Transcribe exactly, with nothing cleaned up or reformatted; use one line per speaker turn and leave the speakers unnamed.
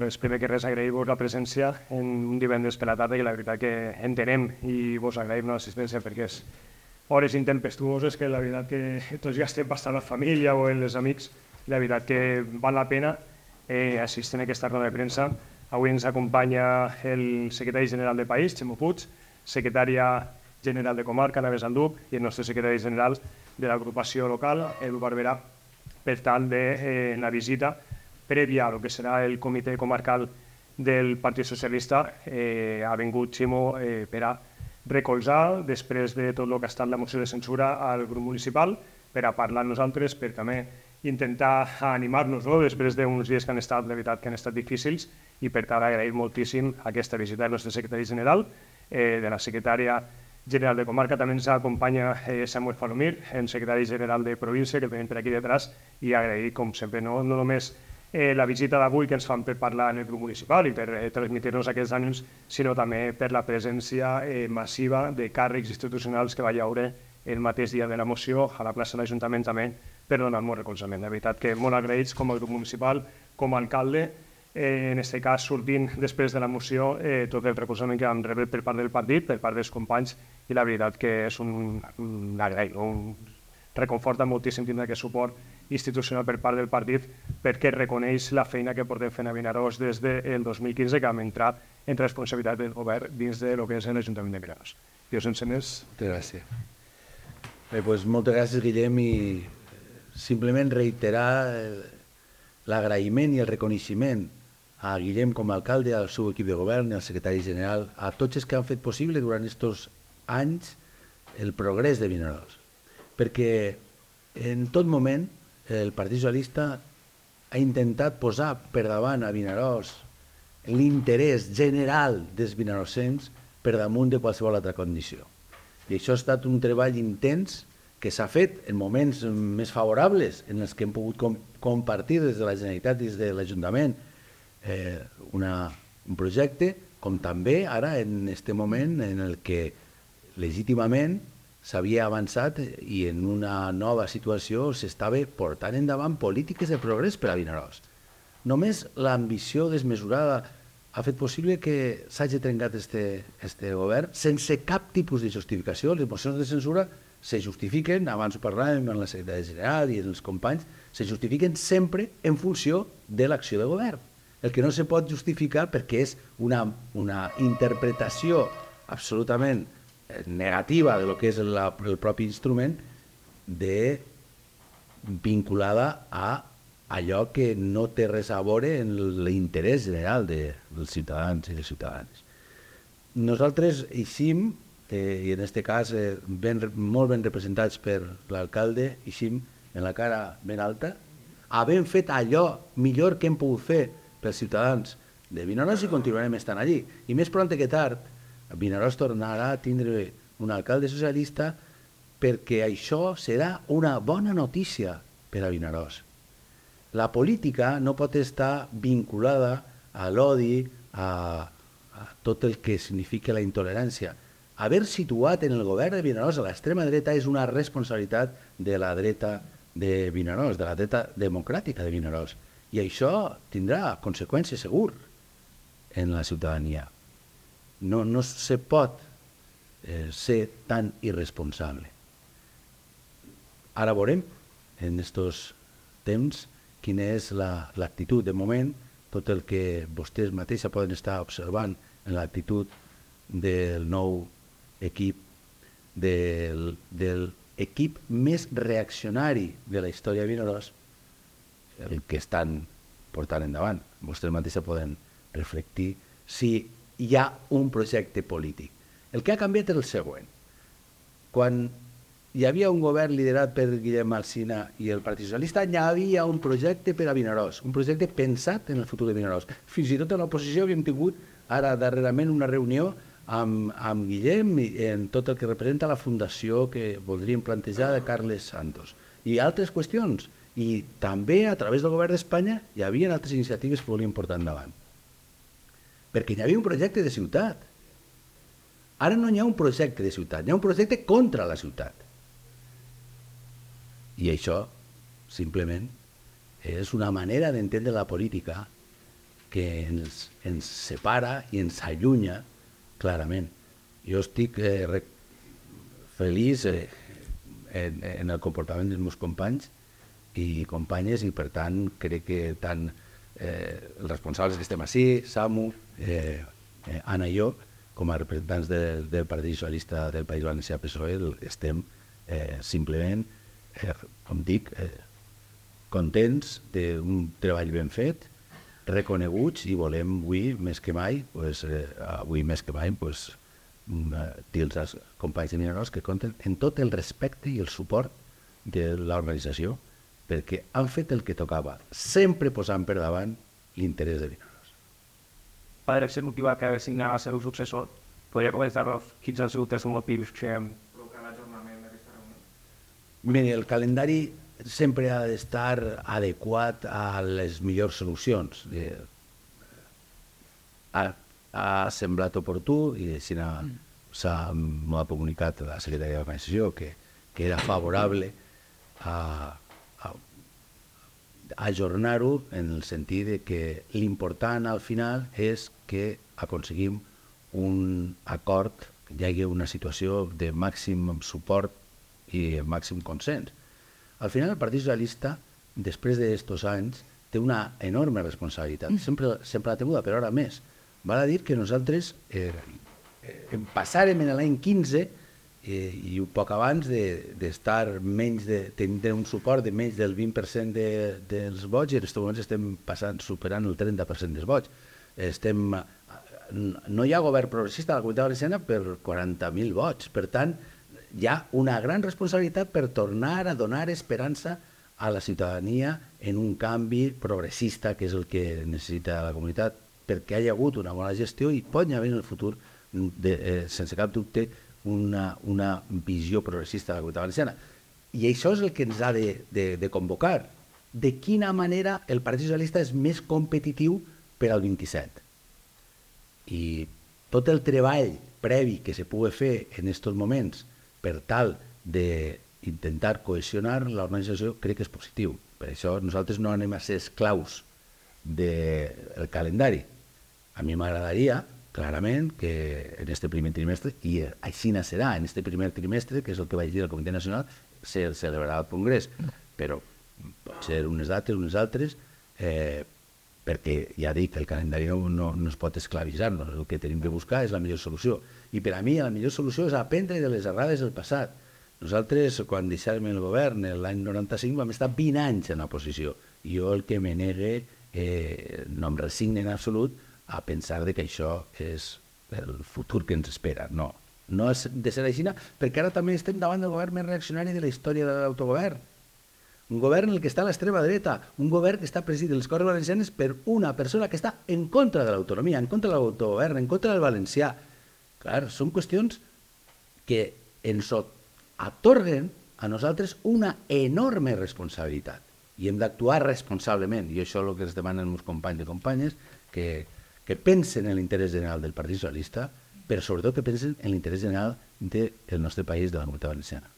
res, primer que res agrair-vos la presència en un divendres per la tarda, que la veritat que entenem i vos agraïm l'assistència perquè és hores intempestuoses que la veritat que tots ja estem bastant a la família o en els amics, la veritat que val la pena eh, assistir a aquesta roda de premsa. Avui ens acompanya el secretari general del país, Ximo Puig, secretària general de comarca, Ana Besanduc, i el nostre secretari general de l'agrupació local, Edu Barberà, per tal de eh, la visita prèvia al que serà el comitè comarcal del Partit Socialista. Eh, ha vingut Ximo eh, per a recolzar, després de tot el que ha estat la moció de censura al grup municipal, per a parlar amb nosaltres, per també intentar animar-nos, no? Després d'uns dies que han estat, de veritat, que han estat difícils, i per tant agrair moltíssim aquesta visita del nostre secretari general, eh, de la secretària general de comarca. També ens acompanya eh, Samuel Falomir, el secretari general de província, que tenim per aquí detrás, i agrair, com sempre, no, no només eh, la visita d'avui que ens fan per parlar en el grup municipal i per eh, transmetre-nos aquests ànims, sinó també per la presència eh, massiva de càrrecs institucionals que va hi haure el mateix dia de la moció a la plaça de l'Ajuntament també per donar molt recolzament. De veritat que molt agraïts com a grup municipal, com a alcalde, eh, en aquest cas sortint després de la moció eh, tot el recolzament que vam rebre per part del partit, per part dels companys, i la veritat que és un, un agraït, un reconforta moltíssim tindre aquest suport institucional per part del partit, perquè reconeix la feina que portem fent a Vinaròs des del dos mil quinze, que vam entrar en responsabilitat del govern dins de lo que és l'Ajuntament de Vinaròs. Dios sense més.
Moltes gràcies. Bé, doncs moltes gràcies, Guillem, i simplement reiterar l'agraïment i el reconeixement a Guillem com a alcalde, al seu equip de govern i al secretari general, a tots els que han fet possible durant aquests anys el progrés de Vinaròs. Perquè en tot moment el Partit Socialista ha intentat posar per davant a Vinaròs l'interès general dels vinarossencs per damunt de qualsevol altra condició. I això ha estat un treball intens que s'ha fet en moments més favorables en els que hem pogut com compartir des de la Generalitat i des de l'Ajuntament eh, una, un projecte, com també ara en aquest moment en el que legítimament s'havia avançat i en una nova situació s'estava portant endavant polítiques de progrés per a Vinaròs. Només l'ambició desmesurada ha fet possible que s'hagi trencat aquest govern sense cap tipus de justificació. Les mocions de censura se justifiquen, abans ho parlàvem amb la secretària general i els companys, se justifiquen sempre en funció de l'acció de govern. El que no se pot justificar perquè és una, una interpretació absolutament negativa de lo que és la, el propi instrument de, vinculada a allò que no té res a veure en l'interès general de, dels ciutadans i les ciutadanes. Nosaltres eixim, eh, i en aquest cas eh, ben, molt ben representats per l'alcalde, eixim en la cara ben alta, havent fet allò millor que hem pogut fer pels ciutadans de Vinaròs i continuarem estant allí. I més pront que tard, Vinaròs tornarà a tindre un alcalde socialista perquè això serà una bona notícia per a Vinaròs. La política no pot estar vinculada a l'odi, a, a tot el que significa la intolerància. Haver situat en el govern de Vinaròs a l'extrema dreta és una responsabilitat de la dreta de Vinaròs, de la dreta democràtica de Vinaròs. I això tindrà conseqüències segur en la ciutadania. No, no se pot eh, ser tan irresponsable. Ara veurem, en aquests temps, quina és l'actitud. De moment, tot el que vostès mateixos poden estar observant en l'actitud del nou equip, del, del equip més reaccionari de la història de Vinaròs, el que estan portant endavant. Vostès mateixos poden reflectir si hi ha un projecte polític. El que ha canviat és el següent. Quan hi havia un govern liderat per Guillem Alsina i el Partit Socialista, hi havia un projecte per a Vinaròs, un projecte pensat en el futur de Vinaròs. Fins i tot a l'oposició havíem tingut ara darrerament una reunió amb, amb Guillem en tot el que representa la fundació que voldríem plantejar de Carles Santos i altres qüestions. I també a través del govern d'Espanya hi havia altres iniciatives que volíem portar endavant. Perquè hi havia un projecte de ciutat. Ara no hi ha un projecte de ciutat, hi ha un projecte contra la ciutat. I això, simplement, és una manera d'entendre la política que ens, ens separa i ens allunya clarament. Jo estic eh, re, feliç eh, en, en el comportament dels meus companys i companyes, i per tant crec que tant eh, els responsables que estem així, Samu, eh, eh, Anna i jo, com a representants de, del Partit Socialista del País Valencià P S O E, estem eh, simplement, eh, com dic, eh, contents d'un treball ben fet, reconeguts, i volem avui més que mai, pues, eh, avui més que mai, pues, dir als companys de Miraros que compten en tot el respecte i el suport de l'organització, perquè han fet el que tocava, sempre posant per davant l'interès de Miraros.
Per ser motivat que signar el seu successor, podria començar-nos quins han sigut els motius que provoquen l'ajornament d'aquesta reunió?
Mira, el calendari sempre ha d'estar adequat a les millors solucions. Eh, ha, ha semblat oportú, i així s'ha m'ho ha comunicat la secretaria d'organització, que, que era favorable a, a, a ajornar-ho, en el sentit de que l'important al final és que aconseguim un acord, que hi hagi una situació de màxim suport i màxim consens. Al final el Partit Socialista, després d'aquests anys, té una enorme responsabilitat, sempre, sempre l'ha tenuda, però ara més. Val a dir que nosaltres eh, eh, passàrem en l'any quinze eh, i un poc abans d'estar de, menys de tenir un suport de menys del vint per cent de, dels vots, i en aquests moments estem passant, superant el trenta per cent dels vots. Estem, no hi ha govern progressista a la Comunitat Valenciana per quaranta mil vots. Per tant, hi ha una gran responsabilitat per tornar a donar esperança a la ciutadania en un canvi progressista, que és el que necessita la comunitat, perquè hi ha hagut una bona gestió i pot haver en el futur, de, eh, sense cap dubte, una, una visió progressista de la Comunitat Valenciana. I això és el que ens ha de, de, de convocar. De quina manera el Partit Socialista és més competitiu per al vint-i-set. I tot el treball previ que se pugui fer en aquests moments per tal d'intentar cohesionar l'organització, crec que és positiu. Per això nosaltres no anem a ser esclaus del calendari. A mi m'agradaria, clarament, que en aquest primer trimestre, i així serà, en aquest primer trimestre, que és el que vaig dir al Comitè Nacional, se celebrarà el Congrés, però pot ser unes dates, unes altres, eh, perquè ja dic que el calendari no, no, no es pot esclavitzar-nos, el que tenim que buscar és la millor solució. I per a mi la millor solució és aprendre de les errades del passat. Nosaltres, quan deixàrem el govern l'any noranta-cinc, vam estar vint anys en l'oposició. I jo el que me negue, eh, no em resigne en absolut a pensar que això és el futur que ens espera. No, no és de ser així, perquè ara també estem davant del govern més reaccionari de la història de l'autogovern. Un govern en el que està l'extrema dreta, un govern que està presidit les Corts Valencianes per una persona que està en contra de l'autonomia, en contra de l'autogovern, en contra del valencià. Clar, són qüestions que ens atorguen a nosaltres una enorme responsabilitat i hem d'actuar responsablement, i això és el que ens demanen els meus companys i companyes, que, que pensen en l'interès general del Partit Socialista, però sobretot que pensen en l'interès general del nostre país, de la Comunitat Valenciana.